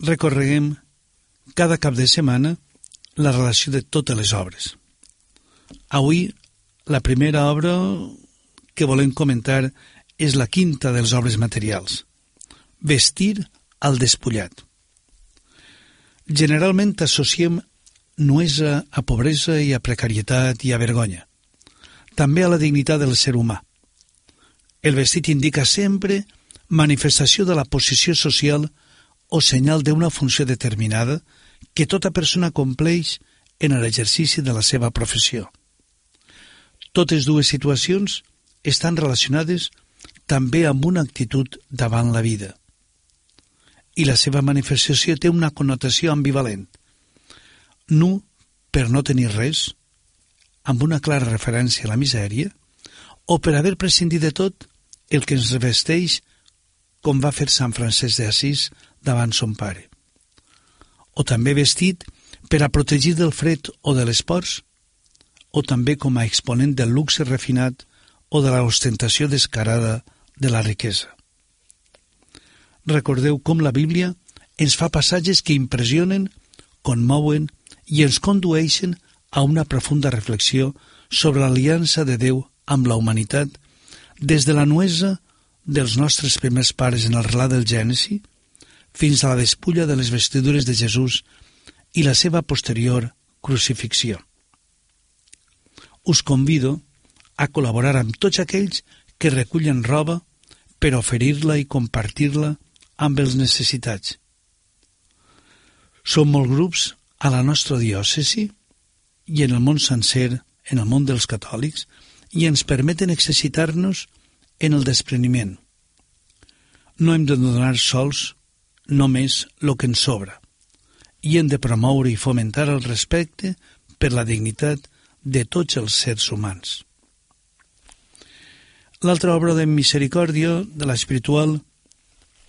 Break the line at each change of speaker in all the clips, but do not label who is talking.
recorreguem cada cap de setmana la relació de totes les obres. Avui, la primera obra que volem comentar és la quinta de les obres materials, vestir al despullat. Generalment associem nuesa a pobresa i a precarietat i a vergonya, també a la dignitat del ser humà. El vestit indica sempre manifestació de la posició social o senyal d'una funció determinada que tota persona compleix en l'exercici de la seva professió. Totes dues situacions estan relacionades també amb una actitud davant la vida. I la seva manifestació té una connotació ambivalent. Nu per no tenir res, amb una clara referència a la misèria, o per haver prescindit de tot el que ens revesteix, com va fer Sant Francesc d'Assís davant son pare. O també vestit per a protegir del fred o de l'esporç, o també com a exponent del luxe refinat o de l'ostentació descarada de la riquesa. Recordeu com la Bíblia ens fa passatges que impressionen, conmouen i ens condueixen a una profunda reflexió sobre l'aliança de Déu amb la humanitat des de la nuesa dels nostres primers pares en el relat del Gènesi fins a la despulla de les vestidures de Jesús i la seva posterior crucifixió. Us convido a col·laborar amb tots aquells que recullen roba per oferir-la i compartir-la amb els necessitats. Som molts grups a la nostra diòcesi i en el món sencer, en el món dels catòlics, i ens permeten exercitar-nos en el despreniment. No hem de donar sols només el que ens sobra i hem de promoure i fomentar el respecte per la dignitat de tots els sers humans. L'altra obra de misericòrdia, de l'espiritual,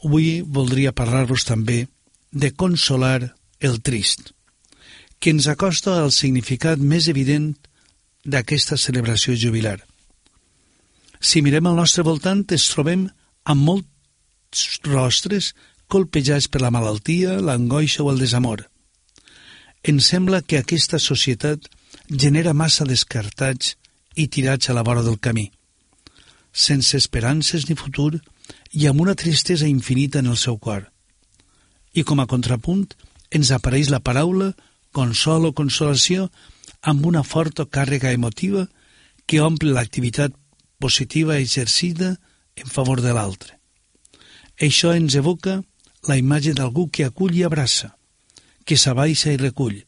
avui voldria parlar-vos també de consolar el trist, que ens acosta al significat més evident d'aquesta celebració jubilar. Si mirem al nostre voltant, ens trobem amb molts rostres colpejats per la malaltia, l'angoixa o el desamor. Ens sembla que aquesta societat genera massa descartats i tirats a la vora del camí, sense esperances ni futur i amb una tristesa infinita en el seu cor. I com a contrapunt ens apareix la paraula consol o consolació amb una forta càrrega emotiva que omple l'activitat positiva exercida en favor de l'altre. Això ens evoca la imatge d'algú que acull i abraça, que s'abaixa i recull,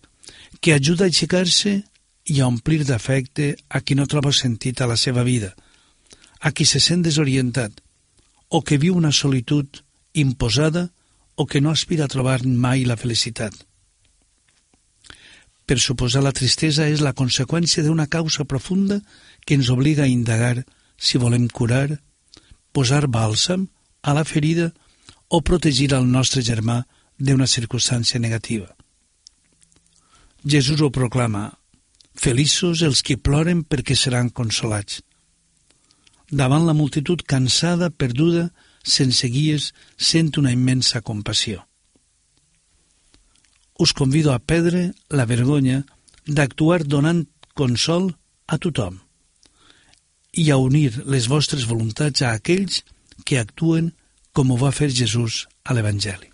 que ajuda a aixecar-se i a omplir d'afecte a qui no troba sentit a la seva vida, a qui se sent desorientat, o que viu una solitud imposada o que no aspira a trobar mai la felicitat. Per suposar, la tristesa és la conseqüència d'una causa profunda que ens obliga a indagar si volem curar, posar bàlsam a la ferida o protegir el nostre germà d'una circumstància negativa. Jesús ho proclama: feliços els que ploren perquè seran consolats. Davant la multitud cansada, perduda, sense guies, sent una immensa compassió. Us convido a perdre la vergonya d'actuar donant consol a tothom i a unir les vostres voluntats a aquells que actuen com ho va fer Jesús a l'Evangeli.